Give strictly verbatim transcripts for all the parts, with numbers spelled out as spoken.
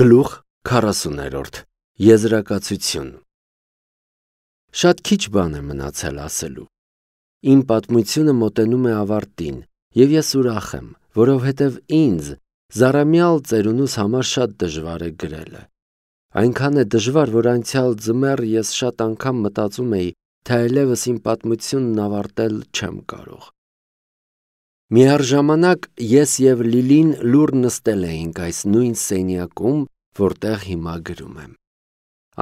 Գլուխ քառասուներորդ Եզրակացություն Շատ քիչ բան է մնացել ասելու։ Իմ պատմությունը մոտենում է ավարտին, եւ ես ուրախ եմ, որովհետեւ ինձ զարամյալ ծերունուս համար շատ դժվար է գրելը։ Այնքան է դժվար, որ անցյալ ձմեռ ես շատ անգամ մտածում էի, թե այլևս իմ պատմությունն ավարտել չեմ կարող։ Միառժամանակ ես եւ Լիլին լուռ նստել էինք այս նույն սենյակում, որտեղ հիմա գրում եմ։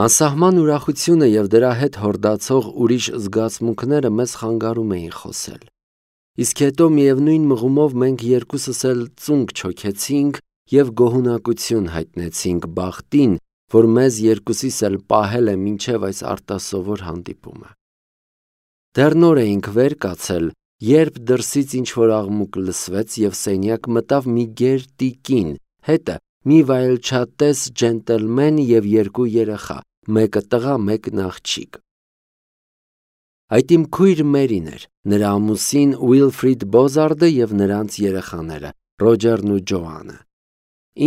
Անսահման ուրախությունը եւ դրա հետ հորդացող ուրիշ զգացմունքները մեզ խանգարում էին խոսել։ Իսկ հետո միևնույն մղումով մենք երկուսս էլ ծունկ չոքեցինք եւ գոհունակություն հայտնեցինք բախտին, որ մեզ երկուսիս էլ պահել է մինչեւ այս արտասովոր հանդիպումը։ Դեռ նոր էինք վեր կացել, երբ դրսից ինչ-որ աղմուկ լսվեց եւ սենյակ մտավ մի գեր տիկին, հետը մի վայելչատես ջենտլմեն եւ երկու երեխա, մեկը տղա, մեկն աղջիկ։ Այդ իմ քույր Մերին էր, նրա ամուսին Ուիլֆրիդ Բոզարդը եւ նրանց երեխաները, Ռոջերն ու Ջոանը։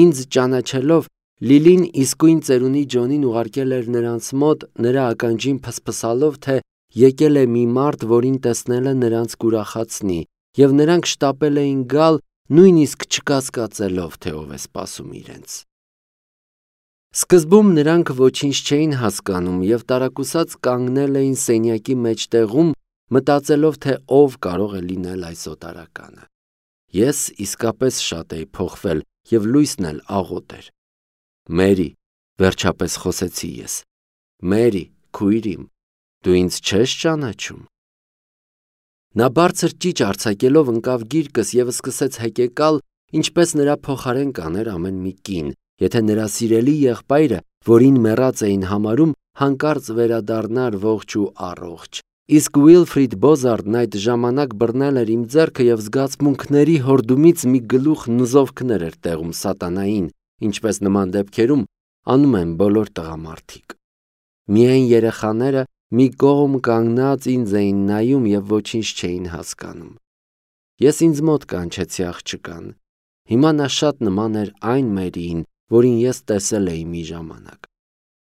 Ինձ ճանաչելով, Լիլին իսկույն ծերունի Ջոնին ուղարկել էր նրանց մոտ, նրա ականջին փսփսալով, թե եկել է մի մարդ, որին տեսնելը նրանց կուրախացնի, եւ նրանք շտապել էին գալ, նույնիսկ չկասկածելով, թե ով է սպասում իրենց։ Սկզբում նրանք ոչինչ չէին հասկանում եւ տարակուսած կանգնել էին սենյակի մեջտեղում, մտածելով, թե ով կարող է լինել այս օտարականը։ Ես իսկապես շատ էի փոխվել եւ լույսն էլ աղոտ էր։ Մերի, վերջապես խոսեցի ես։ Մերի, քույր իմ, դու ինձ չես ճանաչում։ Նա բարձր ճիչ արձակելով ընկավ գիրկս եւ սկսեց հեկեկալ, ինչպես նրա փոխարեն կաներ ամեն մի կին, եթե նրա սիրելի եղբայրը, որին մեռած էին համարում, հանկարծ վերադառնար ողջ ու առողջ։ Իսկ Ուիլֆրիդ Բոզարդն այդ ժամանակ բռնել էր իմ ձեռքը եւ զգացմունքների հորդումից մի գլուխ նզովքներ էր տեղում սատանային, ինչպես նման դեպքերում անում են բոլոր տղամարդիկ։ Միայն երեխաները մի կողմ կանգնած ինձ էին նայում եւ ոչինչ չէին հասկանում։ Ես ինձ մոտ կանչեցի աղջկան։ Հիմա նա շատ նման էր այն Մերիին, որին ես տեսել էի մի ժամանակ։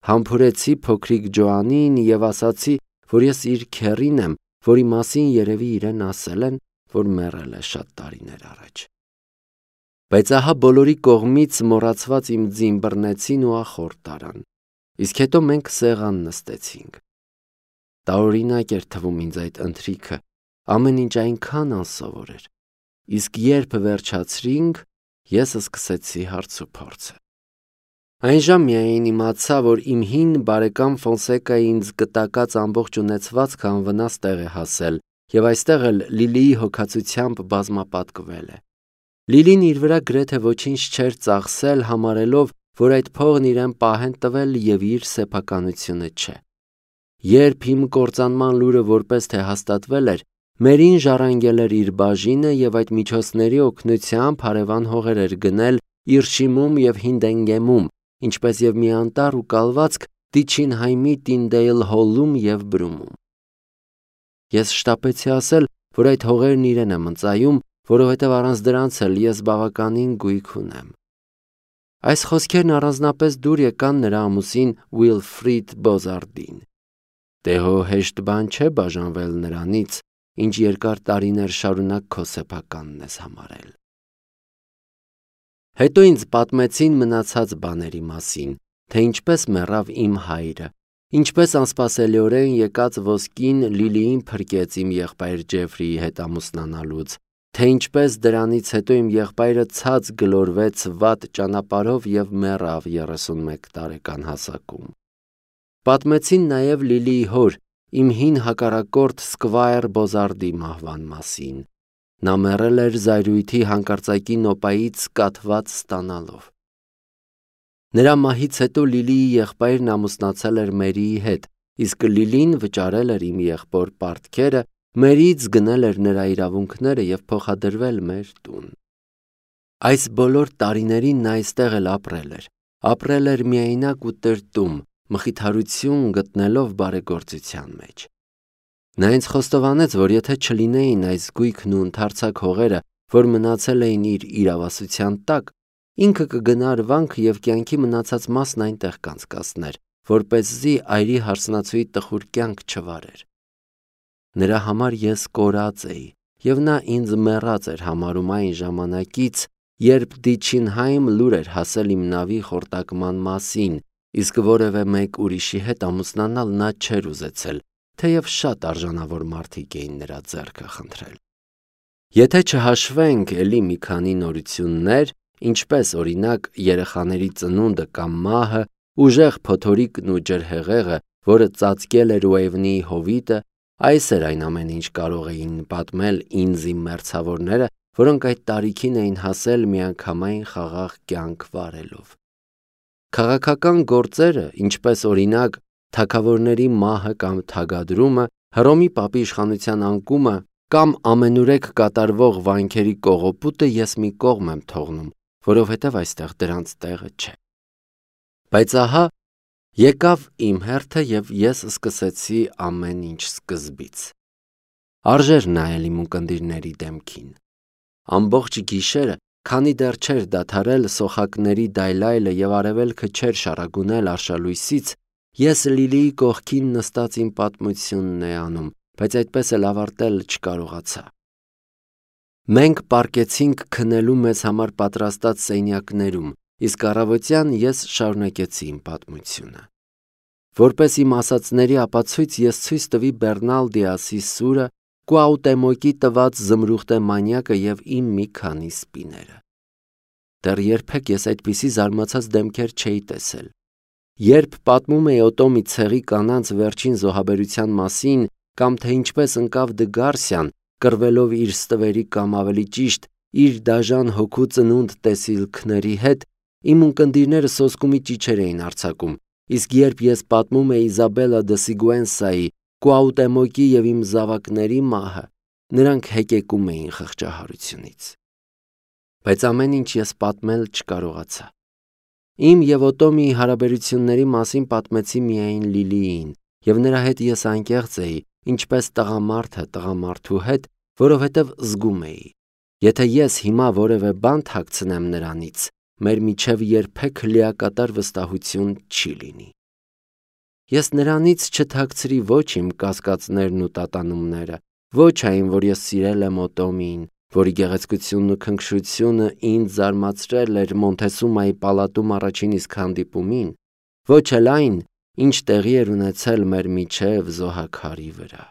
Համբուրեցի փոքրիկ Ջոանին եւ ասացի, որ ես իր քեռին եմ, որի մասին երևի իրեն ասել են, որ մեռել է շատ տարիներ առաջ։ Բայց ահա բոլորի կողմից մոռացված իմ ձին բռնեցին ու ախորդ տարան։ Իսկ հետո մենք սեղան նստեցինք։ Տարօրինակ էր թվում ինձ այդ ընթրիքը, ամեն ինչ այնքան անսովոր էր։ Իսկ երբ վերջացրինք, ես սկսեցի հարցուփորձը։ Այն ժամ միայն իմացա, որ իմ հին բարեկամ Ֆոնսեկայի ինձ կտակած ամբողջ ունեցվածքը անվնաս տեղ է հասել, եւ այստեղ էլ Լիլիի հոգացությամբ բազմապատկվել է։ Լիլին իր վրա գրեթե ոչինչ չէր ծախսել, համարելով, որ այդ փողն իրեն պահեն տվել եւ իր սեփականությունը չէ։ Երբ իմ կործանման լուրը որպես թե հաստատվել էր, Մերին ժառանգել էր իր բաժինը եւ այդ միջոցների օգնությամբ հարևան հողեր էր գնել Իրշիմում եւ Հինդենգեմում, ինչպես եւ մի անտառ ու կալվածք Տիչինհայմի Տինդեյլ Հոլում եւ Բրումում։ Ես շտապեցի ասել, որ այդ հողերն իրեն եմ ընծայում, որովհետեւ առանց դրանց էլ ես բավականին գույք ունեմ։ Այս խոսքերն առանձնապես դուր եկան նրա ամուսին Ուիլֆրիդ Բոզարդին։ Դե հո հեշտ բան չէ բաժանվել նրանից, ինչ երկար տարիներ շարունակ քո սեփականն ես համարել։ Հետո ինձ պատմեցին մնացած բաների մասին, թե ինչպես մեռավ իմ հայրը, ինչպես անսպասելիորեն եկած ոսկին Լիլիին փրկեց իմ եղբայր Ջեֆրիի հետ ամուսնանալուց, թե ինչպես դրանից հետո իմ եղբայրը ցած գլորվեց վատ ճանապարհով եւ մեռավ երեսունմեկ տարեկան հասակում։ Պատմեցին նաև Լիլիի հոր, իմ հին հակառակորդ Սկվայր Բոզարդի մահվան մասին։ Նա մեռել էր զայրույթի հանկարծակի նոպայից կաթված ստանալով։ Նրա մահից հետո Լիլիի եղբայրն ամուսնացել էր Մերիի հետ, իսկ Լիլին վճարել էր իմ եղբոր պարտքերը, Մերիից գնել էր նրա իրավունքները եւ փոխադրվել մեր տուն։ Այս բոլոր տարիներին նա այստեղ էլ ապրել էր, ապրել էր միայնակ ու տրտում, մխիթարություն գտնելով բարեգործության մեջ։ Նա ինձ խոստովանեց, որ եթե չլինեին այս գույքն ու ընդարձակ հողերը, որ մնացել էին իր իրավասության տակ, ինքը կգնար վանք և կյանքի մնացած մասն այնտեղ կանցկացներ, որպեսզի այրի հարսնացուի տխուր կյանք չվարեր։ Նրա համար ես կորած էի, և նա ինձ մեռած էր համարում այն ժամանակից, երբ Դիչինհայմ լուր էր հասել իմ նավի խորտակման մասին, իսկ որևէ մեկ ուրիշի հետ ամուսնանալ նա չէր ուզեցել, թեև շատ արժանավոր մարդիկ էին նրա ձեռքը խնդրել։ Եթե չհաշվենք էլի մի քանի նորություններ, ինչպես օրինակ երեխաների ծնունդը կամ մահը, ուժեղ փոթորիկն ու ջրհեղեղը, որը ծածկել էր Ուեյվնիի հովիտը, այս էր այն ամեն ինչ կարող էին պատմել ինձ իմ մերձավորները, որոնք այդ տարիքին էին հասել միանգամայն խաղաղ կյանք վարելով։ Քաղաքական գործերը, ինչպես օրինակ թագավորների մահը կամ թագադրումը, Հռոմի պապի իշխանության անկումը կամ ամենուրեք կատարվող վանքերի կողոպուտը ես մի կողմ եմ թողնում, որովհետև այստեղ դրանց տեղը չէ։ Բայց ահա եկավ իմ հերթը և ես սկսեցի ամեն ինչ սկզբից։ Արժեր նայել իմ ունկնդիրների դեմքին։ Ամբողջ գիշերը, քանի դեռ չէր դադարել սոխակների դայլայլը և արևելքը չէր շառագունել արշալույսից, ես Լիլիի կողքին նստած իմ պատմությունն էի անում, բայց այդպես էլ ավարտել չկարողացա։ Մենք պառկեցինք քնելու մեզ համար պատրաստած սենյակներում, իսկ առավոտյան ես շարունակեցի իմ պատմությունը։ Որպես իմ ասածների ապացույց ես ցույց տվի Բեռնալ Դիասի սուրը, Կուաուտեմոկի տված զմրուխտե մանյակը և իմ մի քանի սպիները։ Դեռ երբեք ես այդպիսի զարմացած դեմքեր չէի տեսել։ Երբ պատմում էի Օտոմի ցեղի կանանց վերջին զոհաբերության մասին, կամ թե ինչպես ընկավ Դը Գարսիան, կռվելով իր ստվերի կամ ավելի ճիշտ իր դաժան հոգու ծնունդ տեսիլքների հետ, իմ ունկնդիրները սոսկումի ճիչեր էին արձակում, իսկ երբ ես պատմում էի Իզաբելլա դը Սիգուենսայի, Կուաուտեմոկի և իմ զավակների մահը, նրանք հեկեկում էին խղճահարությունից։ Բայց ամեն ինչ ես պատմել չկարողացա։ Իմ և Օտոմիի հարաբերությունների մասին պատմեցի միայն Լիլիին, և նրա հետ ես անկեղծ էի, ինչպես տղամարդը տղամարդու հետ, որովհետև զգում էի. եթե ես հիմա որևէ բան թաքցնեմ նրանից, մեր միջև երբեք լիակատար վստահություն չի լինի։ Ես նրանից չթաքցրի ոչ իմ կասկածներն ու տատանումները, ոչ այն, որ ես սիրել եմ Օտոմիին, որի գեղեցկությունն ու քնքշությունը ինձ զարմացրել էր Մոնթեսումայի պալատում առաջին իսկ հանդիպումին, ոչ էլ այն, ինչ տեղի էր ունեցել մեր միջև զոհաքարի վրա։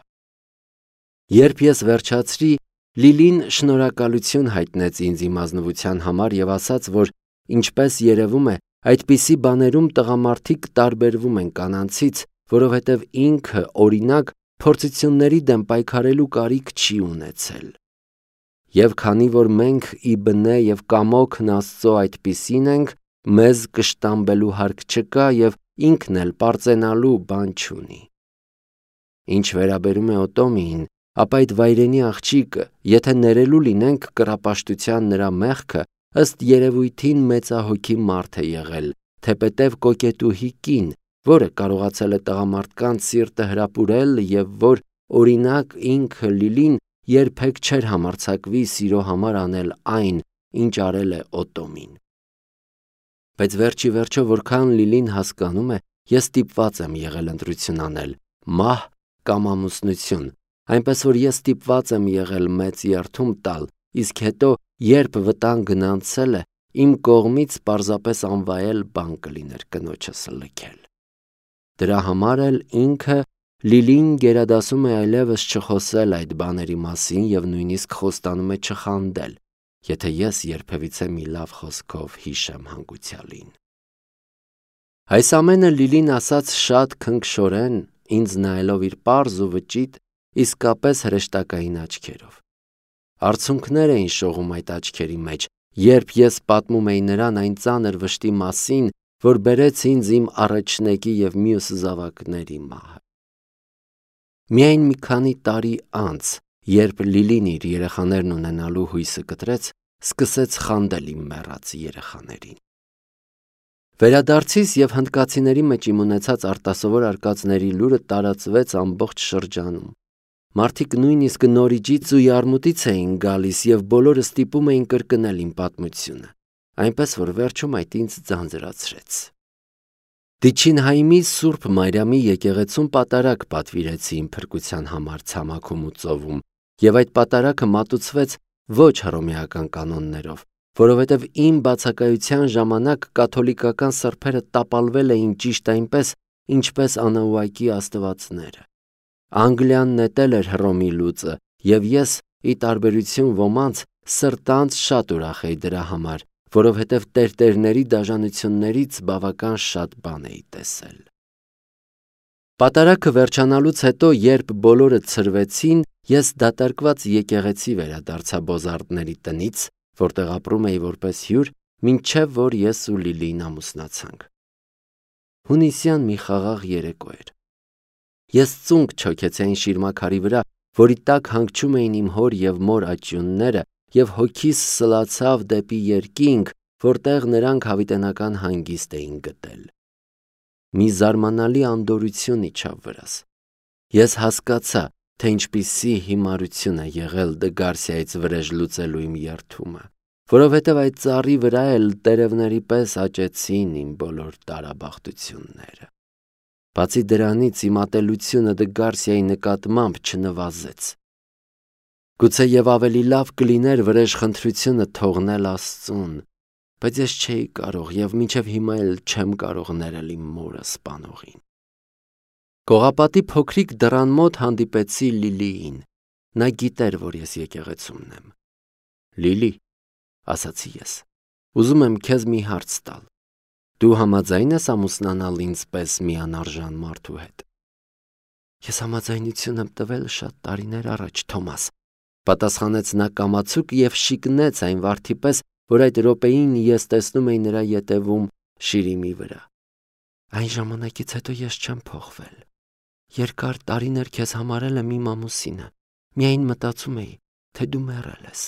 Երբ ես վերջացրի, Լիլին շնորհակալություն հայտնեց ինձ իմ ազնվության համար և ասաց, որ ինչպես երևում է, այդպիսի բաներում տղամարդիկ տարբերվում են կանանցից, որովհետև ինքը, օրինակ, փորձությունների դեմ պայքարելու կարիք չի ունեցել։ Եվ քանի որ մենք ի բնե և կամոքն Աստծո այդպիսին ենք, մեզ կշտամբելու հարկ չկա և ինքն էլ պարծենալու բան չունի։ Ինչ վերաբերում է Օտոմիին, ապա այդ վայրենի աղջիկը, եթե ներելու լինենք կռապաշտության նրա մեղքը, ըստ երևույթին մեծահոգի մարդ է եղել, թեպետև կոկետուհի կին, որը կարողացել է տղամարդկանց սիրտը հրապուրել և որ, օրինակ, ինքը Լիլին երբեք չէր համարձակվի սիրո համար անել այն, ինչ արել է Օտոմին։ Բայց վերջի վերջո, որքան Լիլին հասկանում է, ես ստիպված եմ եղել ընտրություն անել՝ մահ կամ ամուսնություն, այնպես որ ես ստիպված եմ եղել մեծ երդում տալ, իսկ հետո, երբ վտանգն անցել է, իմ կողմից պարզապես անվայել բան կլիներ կնոջս լքել։ Դրա համար էլ ինքը Լիլին գերադասում է այլևս չխոսել այդ բաների մասին և նույնիսկ խոստանում է չխանդել, եթե ես երբևիցե մի լավ խոսքով հիշեմ հանգուցյալին։ Այս ամենը Լիլին ասաց շատ քնքշորեն, ինձ նայելով իր պարզ ու վճիտ, իսկապես հրեշտակային աչքերով։ Արցունքներ էին շողում այդ աչքերի մեջ, երբ ես պատմում էի նրան այն ծանր վշտի մասին, որ բերեց ինձ իմ առաջնեկի և մյուս զավակների մահը։ Միայն մի քանի տարի անց, երբ Լիլին իր երեխաներն ունենալու հույսը կտրեց, սկսեց խանդել իմ մեռած երեխաներին։ Վերադարձիս և հնդկացիների մեջ իմ ունեցած արտասովոր արկածների լուրը տարածվեց ամբողջ շրջանում։ Մարդիկ նույնիսկ նորիջից ու յարմուտից էին գալիս և բոլորը ստիպում էին կրկնել իմ պատմությունը։ այնպես որ վերջում այդ ինձ ձանձրացրեց։ Դիչինհայմի Սուրբ Մարիամի եկեղեցում պատարագ պատվիրեցի իմ փրկության համար ցամաքում ու ծովում, եւ այդ պատարագը մատուցվեց ոչ հռոմեական կանոններով, որովհետև իմ բացակայության ժամանակ կաթոլիկական սրբերը տապալվել էին ճիշտ այնպես, ինչպես անաուակի աստվածները։ Անգլիան նետել էր Հռոմի լուծը, եւ ես, ի տարբերություն ոմանց, սրտանց շատ ուրախ էի դրա համար, որովհետև տերտերների դաժանություններից բավական շատ բան էի տեսել։ Պատարագը վերջանալուց հետո, երբ բոլորը ցրվեցին, ես դատարկված եկեղեցի վերադարձա Բոզարդների տնից, որտեղ ապրում էի որպես հյուր, մինչև որ ես ու Լիլին ամուսնացանք։ Հունիսյան մի խաղաղ երեկո էր։ Ես ծունկ չոքեցի այն շիրմաքարի վրա, որի տակ հանգչում էին իմ հոր և մոր աճյունները, և հոգիս սլացավ դեպի երկինք, որտեղ նրանք հավիտենական հանգիստ էին գտել։ Մի զարմանալի անդորրություն իջավ վրաս։ Ես հասկացա, թե ինչպիսի հիմարություն է եղել Դգարսիայից վրեժ լուծելու իմ երդումը, որովհետև այդ ծառի վրա էլ տերևների պես աճեցին իմ բոլոր տարաբախտությունները։ Բացի դրանից իմ ատելությունը Դգարսիայի նկատմամբ չնվազեց։ Գուցե եւ ավելի լավ կլիներ վրեժխնդրությունը թողնել Աստծուն, բայց ես չէի կարող եւ մինչեւ հիմա էլ չեմ կարող ներել իմ մորը սպանողին։ Կողապատի փոքրիկ դռան մոտ հանդիպեցի Լիլիին։ Նա գիտեր, որ ես եկեղեցումն եմ։ Լիլի, ասացի ես, ուզում եմ քեզ մի հարց տալ։ Դու համաձայն ես ամուսնանալ ինձ պես մի անարժան մարդու հետ։ Ես համաձայնություն եմ տվել շատ տարիներ առաջ, Թոմաս, պատասխանեց նա կամացուկ եւ շիկնեց այն վարդի պես, որ այդ րոպեին ես տեսնում էի նրա ետևում շիրիմի վրա։ Այն ժամանակից հետո ես չեմ փոխվել։ Երկար տարիներ քեզ համարել եմ իմ ամուսինը, միայն մտածում էի, թե դու մեռել ես։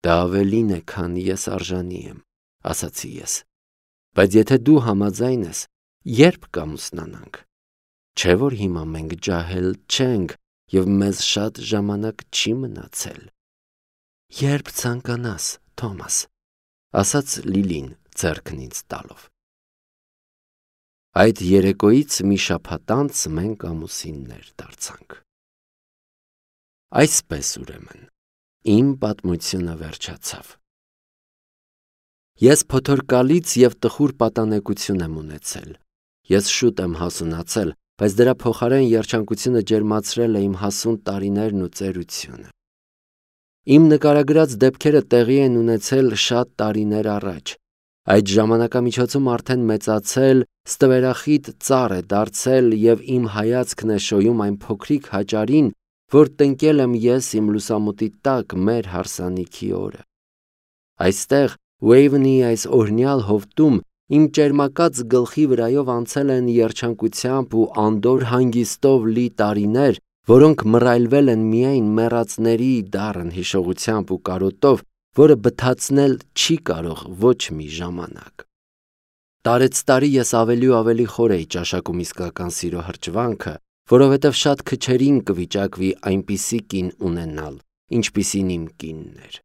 Դա ավելին է, քան ես արժանի եմ, ասացի ես։ Բայց եթե դու համաձայն ես, երբ կամուսնանանք։ Չէ՞ որ հիմա մենք ջահել չենք եւ մեզ շատ ժամանակ չի մնացել։ Երբ ցանկանաս, Թոմաս, ասաց Լիլին ձեռքն ինձ տալով։ Այդ երեկոյից մի շաբաթ անց մենք ամուսիններ դարձանք։ Այսպես ուրեմն, իմ պատմությունը վերջացավ։ Ես փոթորկալից եւ տխուր պատանեկություն եմ ունեցել։ Ես շուտ եմ հասունացել, բայց դրա փոխարեն երջանկությունը ջերմացրել է իմ հասուն տարիներն ու ծերությունը։ Իմ նկարագրած դեպքերը տեղի են ունեցել շատ տարիներ առաջ։ Այդ ժամանակամիջոցում արդեն մեծացել, ստվերախիտ ծառ է դարձել եւ իմ հայացքն է շոյում այն փոքրիկ հաճարին, որ տնկել եմ ես իմ լուսամուտի տակ մեր հարսանիքի օրը։ Այստեղ Ուեյվնի այս օրհնյալ հովտում իմ ճերմակած գլխի վրայով անցել են երջանկությամբ ու անդոր հանգիստով լի տարիներ, որոնք մռայլվել են միայն մեռածների դառն հիշողությամբ ու կարոտով, որը բթացնել չի կարող ոչ մի ժամանակ։ Տարեցտարի ես ավելի ու ավելի խոր էի ճաշակում իսկական սիրո հրճվանքը, որովհետև շատ քչերին կվիճակվի այնպիսի կին ունենալ, ինչպիսին իմ կինն էր։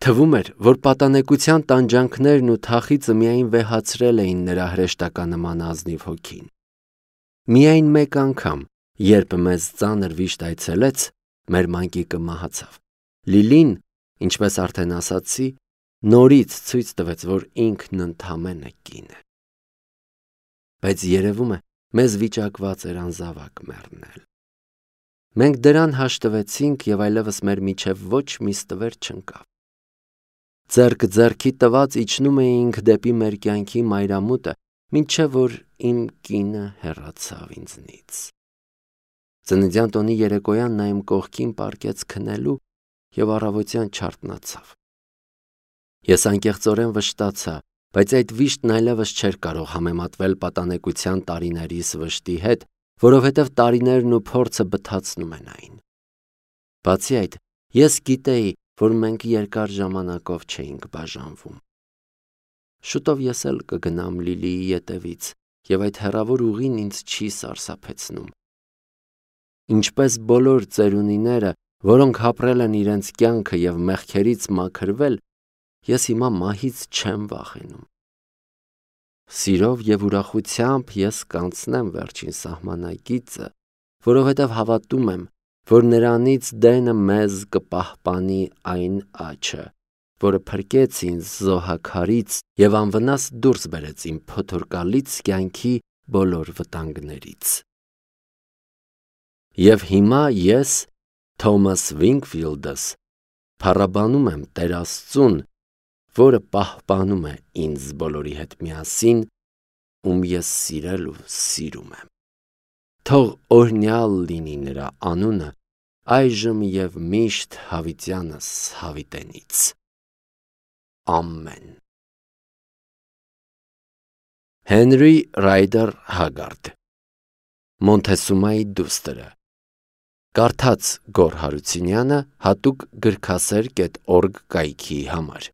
Թվում էր, որ պատանեկության տանջանքներն ու թախիծը միայն վեհացրել էին նրա հրեշտականնման ազնիվ հոգին։ Միայն մեկ անգամ, երբ մեզ ծանր վիշտ այցելեց, մեր մանկիկը մահացավ։ Լիլին, ինչպես արդեն ասացի, նորից ցույց տվեց, որ ինքն ընդամենը կին է։ Բայց երևում է, մեզ վիճակված էր անզավակ մեռնել։ Մենք դրան հաշտվեցինք եւ այլևս մեր միջև ոչ մի ստվեր չընկավ։ Ձեռք ձեռքի տված իջնում էինք դեպի մեր կյանքի մայրամուտը, մինչև որ իմ կինը հեռացավ ինձնից։ Ծննդյան տոնի երեկոյան նա իմ կողքին պառկեց քնելու եւ առավոտյան չարթնացավ։ Ես անկեղծորեն վշտացա, բայց այդ վիշտն այլևս չէր կարող համեմատվել պատանեկության տարիներիս վշտի հետ, որովհետև տարիներն ու փորձը բթացնում են այն։ Բացի այդ, ես գիտեի, որ մենք երկար ժամանակով չէինք բաժանվում։ Շուտով ես էլ կգնամ Լիլիի ետևից, եւ այդ հեռավոր ուղին ինձ չի սարսափեցնում։ Ինչպես բոլոր ծերունիները, որոնք հապրել են իրենց կյանքը եւ մեղքերից մաքրվել, ես հիմա մահից չեմ վախենում։ Սիրով և ուրախությամբ ես կանցնեմ վերջին սահմանակիցը, որովհետև հավատում եմ, որ նրանից դենը մեզ կպահպանի այն աջը, որը փրկեց ինձ զոհաքարից և անվնաս դուրս բերեց իմ փոթորկալից կյանքի բոլոր վտանգներից։ Եվ հիմա ես, Թոմաս Վինքֆիլդս, փառաբանում եմ Տեր Աստծուն, որը պահպանում է ինձ բոլորի հետ միասին, ում ես սիրել ու սիրում եմ։ Թող օրհնյալ լինի նրա անունը այժմ և միշտ հավիտյանս հավիտենից։ Ամեն։ Հենրի Ռայդեր Հագարդ, Մոնթեսումայի դուստրը, կարդաց Գոռ Հարությունյանը հատուկ գրքասեր կետ օրգ կայքի համար։